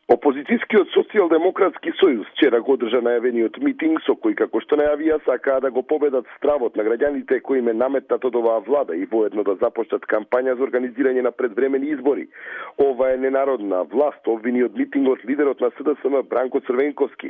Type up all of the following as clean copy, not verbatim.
Опозицијскиот социјалдемократски сојуз вчера го одржа најавениот митинг со кој, како што најавија, сакаа да го победат стравот на граѓаните кои им е наметнат од оваа влада и воедно да започнат кампања за организирање на предвремени избори. Ова е ненародна власт, обвини од митингот лидерот на СДСМ Бранко Црвенковски.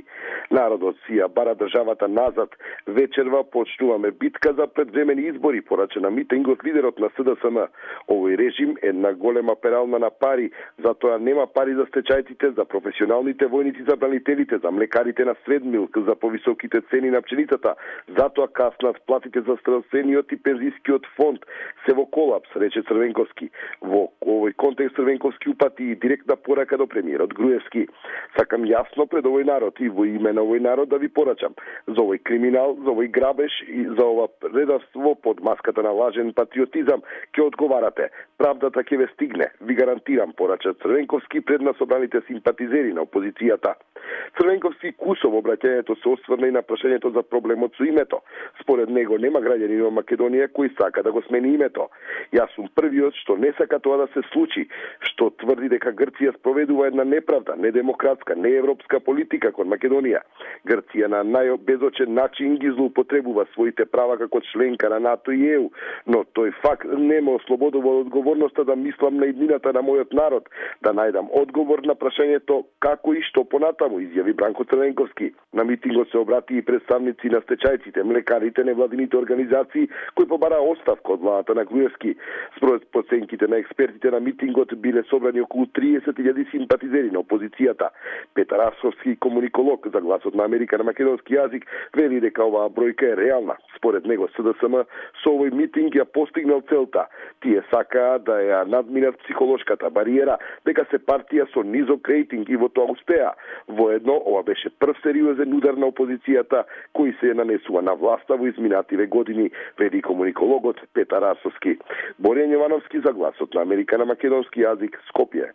Народот си ја бара државата назад. Вечерва почнуваме битка за предвремени избори, порача на митингот лидерот на СДСМ. Овој режим е една голема перална на пари, затоа нема пари за стечајците, за професионалните војници, за бранителите, за млекарите на Средмилк, за повисоките цени на пшеницата, затоа каснат платите за здравствениот и пензискиот фонд. Се во колапс, рече Црвенковски. Во овој контекст Црвенковски упати и директна порака до премиерот Груевски. Сакам јасно пред овој народ и во име на овој народ да ви порачам. За овој криминал, за овој грабеж и за ова предавство под маската на лажен патриотизам ќе одговарате. Правдата ќе ве стигне, ви гарантирам, порача Црвенковски пред на собраните симпатизери на опозицијата. Црвенковски кусо во обраќањето се осврна и на прашањето за проблемот со името. Според него нема граѓани во Македонија кој сака да го смени името. Јас сум првиот што не сака тоа да се случи, што тврди дека Грција спроведува една неправда, недемократска, неевропска политика кон Македонија. Грција на најбезочен начин ги злоупотребува своите права како членка на НАТО и ЕУ, но тој факт не ме ослободува од одговорноста да мислам на иднината на мојот народ, да најдам одговор на прашањето како и што понатаму, изјави Бранко Црвенковски. На митингот се обрати и представници на стечајците, млекарите, невладините организации кои побара оставка од владата на Груевски. Според проценките на експертите на митингот биле собрани околу 30.000 симпатизери на опозицијата. Петар Асовски, комуниколог за Гласот на Америка на македонски јазик, вели дека оваа бројка е реална. Според него СДСМ со овој митинг ја постигнал целта. Тие сакаа да ја надминат психолошката бариера дека се партија со низок рейтинг и во тоа успеа. Воедно, ова беше прв сериозен удар на опозицијата кој се нанесува на власта во изминативе години, вели комуникологот Петар Асовски. Боријан Јовановски за Гласот на Америка на македонски јазик, Скопје.